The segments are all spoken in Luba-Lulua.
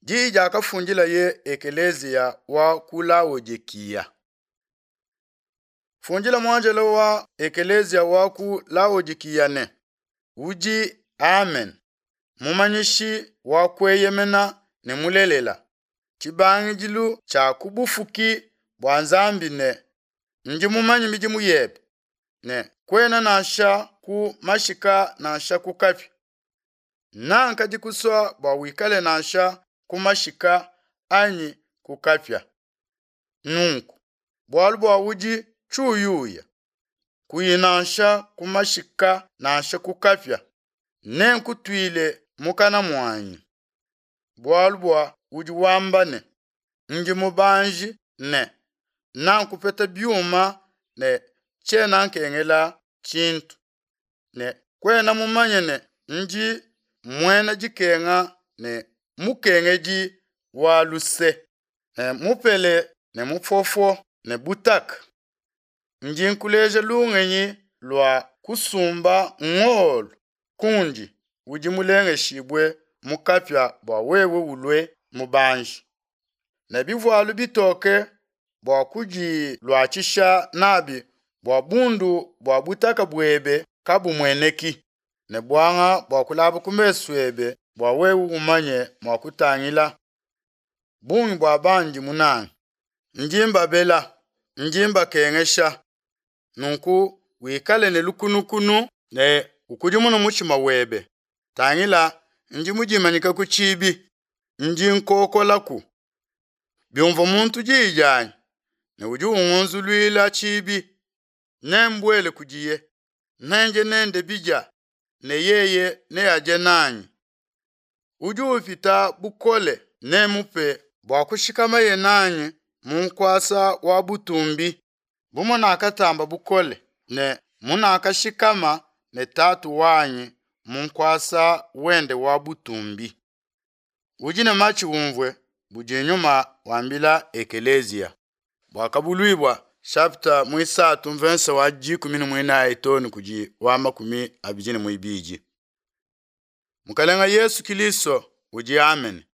Diyi diakafundilaye ekeleziya wa ku Laodikiya. Fundila muanjelo wa ekeleziya wa ku Laodikiya ne, Udi Amen, mumanyishi wa kueyemena ne mulelela, tshibangidilu tshia ku bufuki bua Nzambi ne, Ndi mumanye midimu yebe, ne kuena nansha ku mashika nansha ku kapia. Nankadi kusua bua wikale nansha ku mashika anyi ku kapia. Nunku, bualu bua udi tshiuyuya, kuyi nansha ku mashika nansha ku kapia, nenkutuile mukana muanyi. Bualu bua udi wamba ne, Ndi mubanji ne nankupeta biuma ne tshiena nkengela tshintu, ne kuena mumanye ne ndi muena dikenga ne mukengedi wa luse, ne mupele ne mufofo ne butaka. Ndi nkuleja lungenyi lua kusumba ngolo kundi udi mulengeshibue mu kapia bua wewe ulue mubanji, ne bivualu bitoke bua kudiluatshisha nabi bua bundu bua butaka buebe kabumueneki, ne buanga bua kulaba ku mesu ebe bua wewe umanye mua kutangila. Bungi bua bandi munange, ndi mbabela, ndi mbakengesha. Nunku wikale ne lukunukunu ne ukudimune mutshima webe. Tangila, ndi mudimanyike ku tshibi, ndi nkokolaku. Biumvua muntu diyi dianyi ne udi ungunzuluila tshibi, nembuele kudiye, nendie nende bidia ne yeye neadie nanyi. Udi upita bukole nemmupe bua kushikamaye nanyi mu nkuasa wa butumbi, bu munakatamba bukole ne munakashikama ne Tatu wanyi mu nkuasa wende wa butumbi. Udi ne matshi umvue budi Nyuma wambila ekeleziya. Buakabuluibua chapita muisatu mvensa wa 14 too ne kudi wa 22. Mukalenga Yesu Kilisto udi Amen,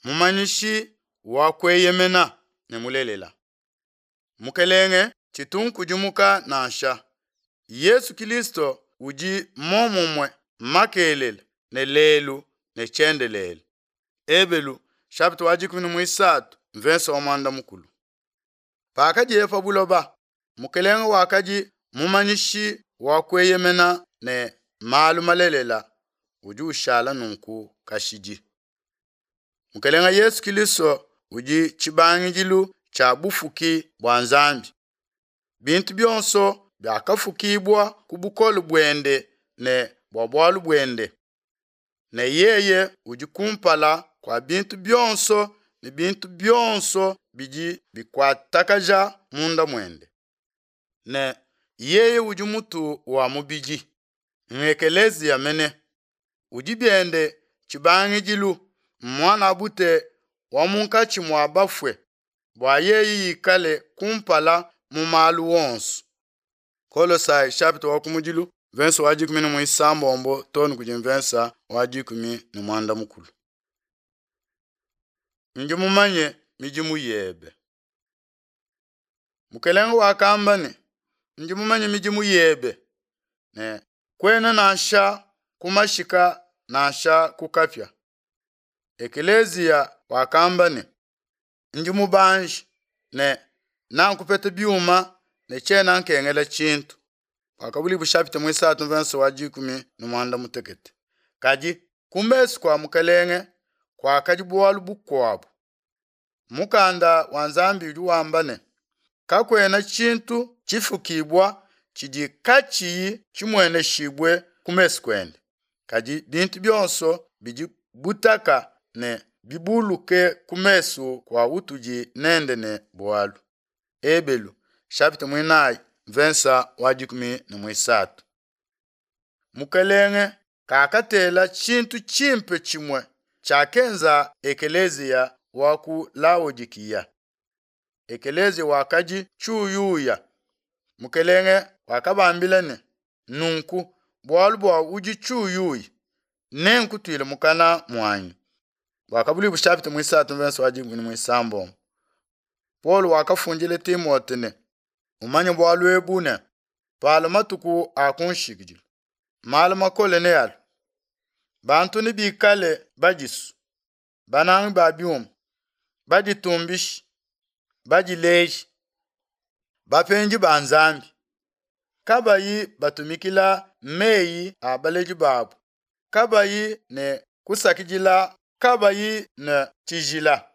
mumanyishi wa kueyemena ne mulelela. Mukelenge tshitu nkudimuka nansha. Yesu Kilisto udi momumue makelela ne lelu ne tshiendelele. Ebelu chapita wa 13 mvensa wa muanda mukulu. Pakadiye pa buloba, Mukelenge wakadi mumanyishi wa kueyemena ne malu malelela udi ushala nunku kashidi. Mukelenge Yesu Kilisto udi tshibangidilu tshia bufuki bua Nzambi. Bintu bionso biakafukibua ku bukole buende ne bua bualu buende. Ne yeye udi kumpala kua bintu bionso ne bintu bionso bidi bikuatakaja munda muende. Ne yeye udi mutu wa mubidi, ng'ekeleziya mene, udi biende tshibangidilu, muanabute wa munkatshi mua bafue, bua yeye ikale kumpala mu malu onso. Kolosai chapitre wa kumudilu verse wa 16 too ne kudi mvensa wa 14. Ndi mumanye midimu yebe. Mukelenge wakamba ne, ndi mumanye midimu yebe, ne kuena nansha ku mashika nansha ku kapia. Ekeleziya wakamba ne, ndi mubanji ne nankupeta biuma ne tshiena nkengela tshintu. Buakabuluibua chapitre muisatu mvensa wa 18. Kadi ku mesu kua Mukelenge kuakadi bualu bukuabu. Mukanda wa Nzambi udi wamba ne, kakuena tshintu tshifukibua tshidi katshiyi tshimueneshibue ku mesu kuende, kadi bintu bionso bidi butaka ne bibuluke ku mesu kua utudi nende ne bualu. Ebelu chapitre muinayi mvensa wa 13. Mukelenge kakatela tshintu tshimpe tshimue tshiakenza ekeleziya wa ku Laodikiya. Ekeleziya wakadi tshiuyuya. Mukelenge wakabambila ne, nunku bualu bua udi tshiuyuya, nenkutuile mukana muanyi. Buakabuluibua shapita muisatu mvensa wa dikumi ne muisambombo. Paulo wakafundila Timote ne, Umanye bualu ebu ne, palua matuku a ku nshikidilu, malu makole nealue. Bantu nebikale badisu, banangi ba biuma, baditumbishi, badileji, bapendi ba Nzambi, kabayi batumikila meyi a baledi babu, kabayi ne kusakidila, kabayi ne tshijila,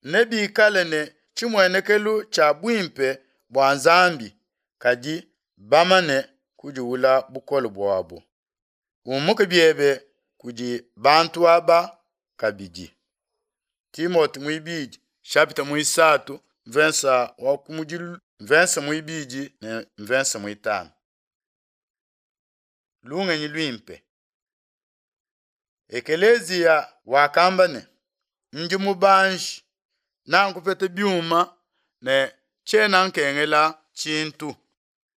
nebikale ne tshimuenekelu tshia buimpe bua Nzambi, kadi bamane kudiwula bukole buabu. Umuke biebe kudi bantu aba kabidi. Timote muibidi shapita muisatu mvensa wa kumudilu mvensa muibidi ne mvensa muitanu. Lungenyi luimpe. Ekeleziya wakamba ne, Ndi mubanji, nankupeta biuma ne tshiena nkengela tshintu.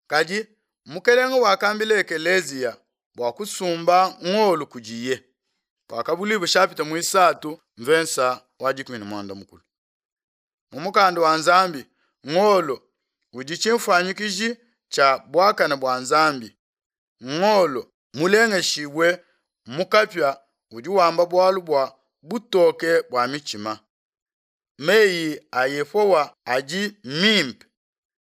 Kadi Mukelenge wakambila ekeleziya bua kusumba ngolo kudiye. Buakabuluibua shapita muisatu mvensa wa dikumi ne muanda mukulu. Mu mukanda wa Nzambi, ngolo udi tshimfuanyikiji tshia buakane bua Nzambi. Ngolo mulengeshibue mu kapia udi wamba bualu bua butoke bua mitshima. Meyi a Yehowa adi mimpe,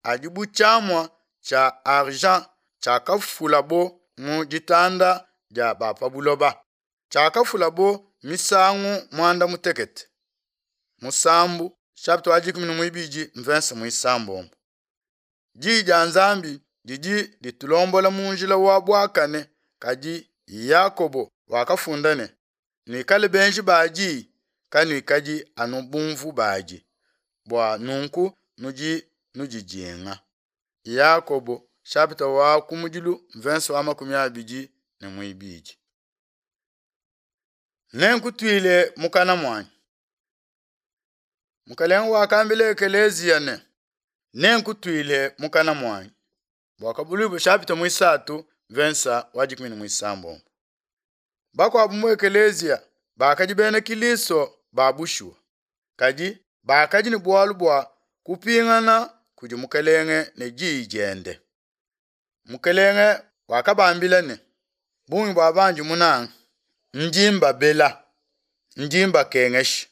adi bu tshiamua tshia argent tshiakafulabo mu ditanda dia ba pa buloba, tshiakafulabo misangu muanda mutekete. Musambu chapitre wa dikumi ne muibidi mvensa muisambombo. Diyi dia Nzambi didi ditulombola mu njila wa buakane, kadi Yakobo wakafunda ne, Nuikale benji ba diyi, kanuikadi anu bumvu badi, bua nunku nudi nudidinga. Yakobo chapitre wa kumudilu mvensa wa makumi abidi ne muibidi. Nenkutuile mukana muanyi. Mukelenge wakambila ekeleziya ne, Nenkutuile mukana muanyi. Buakabuluibua chapitre muisatu mvensa wa dikumi ne muisambombo. Bakuabu mu ekeleziya bakadi bena Kilisto ba bushuwa, kadi bakadi ne bualu bua kupingana kudi Mukelenge ne diyi diende. Mukelenge wakabambila ne, Bungi bua bandi munange, ndi mbabela, ndi mbakengesha.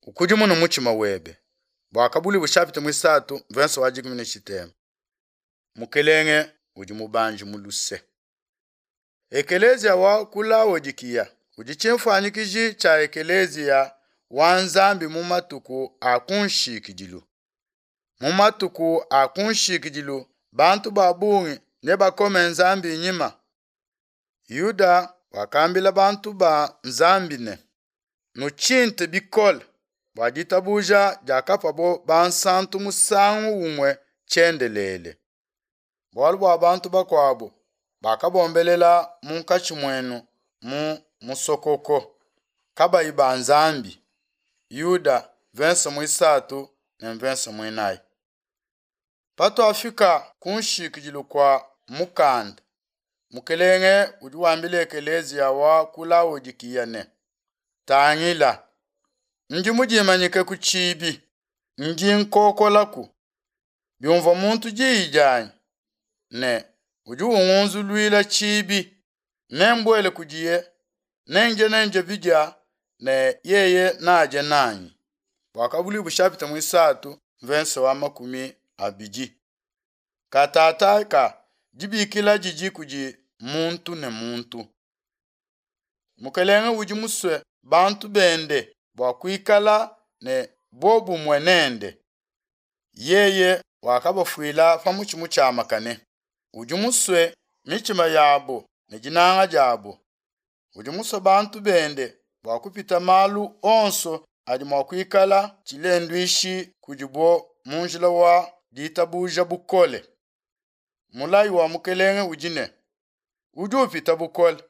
Ukudimune mutshima webe. Buakabuluibua chapitre muisatu mvensa wa dikumi ne tshitema. Mukelenge udi mubanji mu luse. Ekeleziya wa ku Laodikiya udi tshimfuanyikiji tshia ekeleziya wa Nzambi mu matuku a ku nshikidilu. Mu matuku a ku nshikidilu bantu ba bungi nebakome Nzambi nyima. Yuda wakambila bantu ba Nzambi ne, Nutshinte bikole bua ditabuja diakapabo bansantu musangu umue tshiendelele. Bualu bua bantu bakuabo bakabombelela munkatshi muenu mu musokoko, kabayi ba Nzambi. Yuda mvensa muisatu ne mvensa muinayi. Patuafika ku nshikidilu kua mukanda, Mukelenge udi wambila ekeleziya wa ku Laodikiya ne, Tangila, ndi mudimanyike ku tshibi, ndi nkokolaku. Biumvua muntu diyi dianyi ne udi ungunzuluila tshibi, nembuele kudiye, nendie nende bidia ne yeye nadie nanyi. Buakabuluibua shapita muisatu mvensa wa 20. Katataka dibikila didi kudi muntu ne muntu. Mukelenge udi musue bantu bende bua kuikala ne bobumue nende. Yeye wakabafuila pa mutshi mutshiamakane. Udi musue mitshima yabo ne dinanga diabo. Udi musue bantu bende bua kupita malu onso adi mua kuikala tshilenduishi kudibo mu njila wa ditabuja bukole. Mulayi wa Mukelenge udi ne, Udi upita bukole,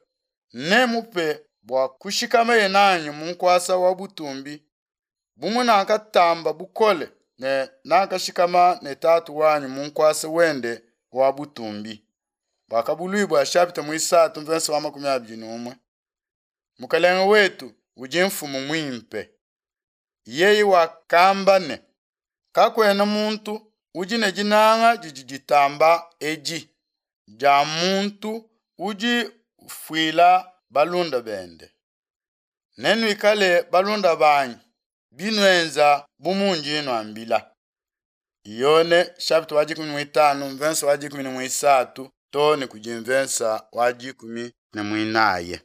nemupe bua kushikameye nanyi mu nkuasa wa butumbi, bu munakatamba bukole ne nakashikama ne Tatu wanyi mu nkuasa wende wa butumbi. Buakabuluibua chapitre muisatu mvensa wa 21. Mukelenge wetu udi mfumu muimpe. Yeye wakamba ne, Kakuena muntu udi ne dinanga didi ditamba edi, dia muntu udi ufuila balunda bende. Nenuikale balunda banyi binuenza bu mundi nnuambila. Yone chapitre wa 15 mvensa wa 13 too ne kudi mvensa wa 14.